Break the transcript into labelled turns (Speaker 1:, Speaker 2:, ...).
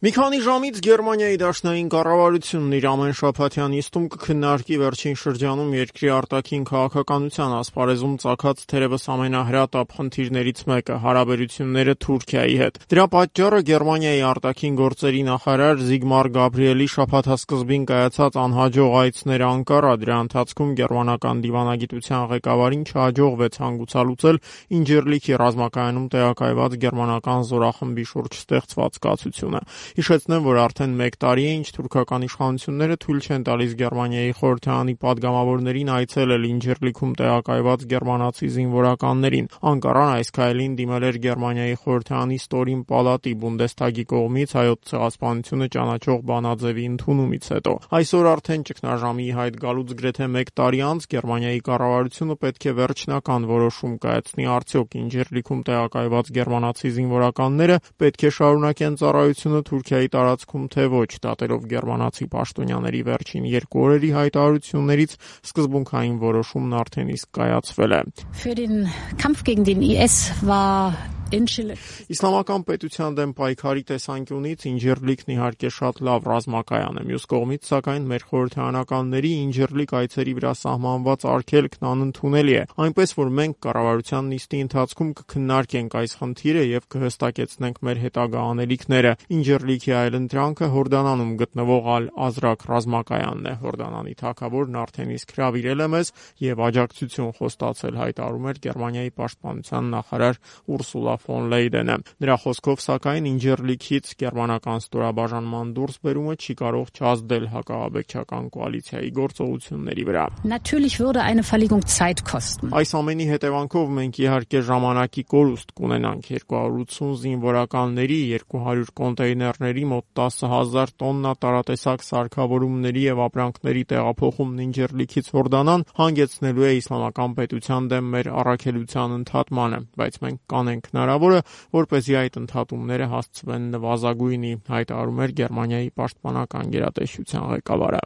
Speaker 1: Մի քանի ժամից Գերմանիայի դաշնային կառավարությունն իր ամենշաբաթյան նիստում կքննարկի վերջին շրջանում երկրի արտաքին քաղաքականության ասպարեզում ծագած թերևս ամենահրատապ խնդիրներից մեկը՝ հարաբերությունները Թուրքիայի հետ։ Դրա պատճառը Գերմանիայի արտաքին գործերի նախարար Զիգմար Գաբրիելի շաբաթասկզբին կայացած անհաջող այցն էր Անկարա։ Դրա ընթացքում գերմանական դիվանագիտության ղեկավարին չհաջողվեց հանգուցալուծել Ինջիրլիքի ռազմակայանում տեղակայված գերմանական զորախմբի շուրջ ստեղծված կացությունը։ Հիշեցնեմ, որ արդեն 1 տարի է, ինչ թուրքական իշխանությունները թույլ չեն տալիս Գերմանիայի խորհրդարանի падգամավորներին այցելել Ինջիրլիքում տեղակայված գերմանացի զինվորականներին։ Անկարան այս քայլին դիմել էր Գերմանիայի խորհրդարանի ստորին պալատի Բունդեսթագի կողմից հայոց ցեղասպանությունը ճանաչող բանաձևի ընդունումից հետո։ Այսօր արդեն ճգնաժամի հայտ գալուց գրեթե 1 տարի անց Գերմանիայի կառավարությունը պետք է վերջնական որոշում կայացնի, արդյոք Ինջիրլիքում տեղակայված գերմանացի զինվորականները պետք է շարունակեն ծառայությունը Թուրքիայի տարածքում թե ոչ, դատելով գերմանացի պաշտոնյաների վերջին 2 օրերի հայտարարություններից սկզբունքային որոշումն արդեն իսկ կայացվել է։ Իսլամական պետության դեմ պայքարի տեսանկյունից Ինջիրլիքն իհարկե շատ լավ ռազմակայան է։ Մյուս կողմից, սակայն, մեր խորհրդարանականների Ինջիրլիկ այցերի վրա սահմանված արգելքն անընդունելի է, այնպես որ մենք կառավարության նիստի ընթացքում կքննարկենք այս խնդիրը եւ կհստակեցնենք մեր հետագա անելիքները։ Ինջիրլիքի այլընտրանքը Հորդանանում գտնվող Ալ-Ազրակ ռազմակայանն է։ Հորդանանի թագավորն արդեն իսկ հրավիրել է մեզ եւ աջակցություն խոստացել, հայտարարում էր Գերմանիայի պաշտպանության նախարար Ուրսուլա ֆոն Լեյդենը։ Նրա խոսքով, սակայն, Ինջիրլիքից գերմանական ստորաբաժանման դուրսբերումը չի կարող չազդել հակաաբեկչական կոալիցիայի գործողությունների վրա։ Այս ամենի հետևանքով մենք իհարկե ժամանակի կորուստ կունենանք 280 զինվորականների, 200 կոնտեյներների, մոտ 10,000 տոննա տարատեսակ սարքավորումների եւ ապրանքների տեղափոխումն Ինջիրլիքից Հորդանան հանգեցնելու է իսլամական պետության դեմ մեր առաքելության ընդհատմանը, բայց մենք կանենք հնարավորը, որպեսզի այդ ընդհատումները հասցվեն նվազագույնի, հայտարարում էր Գերմանիայի պաշտպանական գերատեսչության ղեկավարը։